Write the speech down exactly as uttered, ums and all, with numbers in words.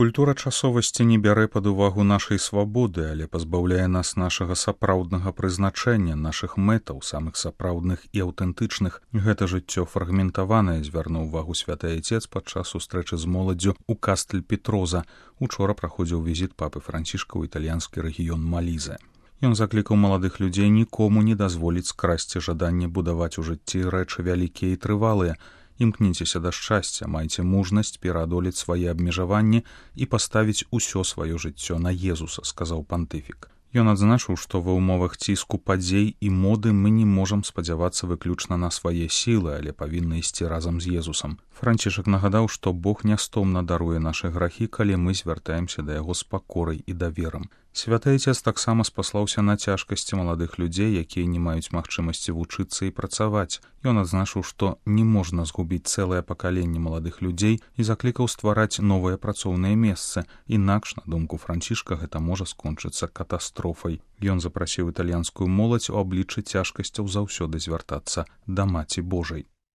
Культура часовасці не бярэ пад увагу нашай свабоды, але пазбаўляе нас нашага сапраўднага прызначэння, нашых мэтаў, самых сапраўдных і аўтэнтычных. Гэта жыццё фрагментаванае, звярнуў увагу святы айцец падчас сустрэчы з моладдзю ў Кастэль-Петроза. Учора праходзіў візіт папы Францішка ў італьянскі рэгіён Малізе. Ён заклікаў маладых людзей нікому не дазволіць скрасці жаданне будаваць у жыцці рэчы вялікія і трывалыя. Імкніцеся да шчасця, майце мужнасць пераадолець свае абмежаванні і паставіць усё сваё жыццё на Езуса, сказаў пантыфік. Ён адзначыў, што ва ўмовах ціску падзей і моды мы не можам спадзявацца выключна на свае сілы, але павінны ісці разам з Езусам. Францішак нагадаў, што Бог нястомна даруе нашы грахі, калі мы звяртаемся да яго з пакорай і даверам. Святы айцец таксама спаслаўся на цяжкасці маладых людзей, якія не маюць магчымасці вучыцца і працаваць. Ён адзначыў, што не можна згубіць цэлае пакаленне маладых людзей і заклікаў ствараць новыя працоўныя месцы. Інакш, на думку Францішка, гэта можа скончыцца катастрофай. Ён запрасіў італьянскую моладзь у абліччы цяжкасцяў заўсёды звяртацца да Маці Божай.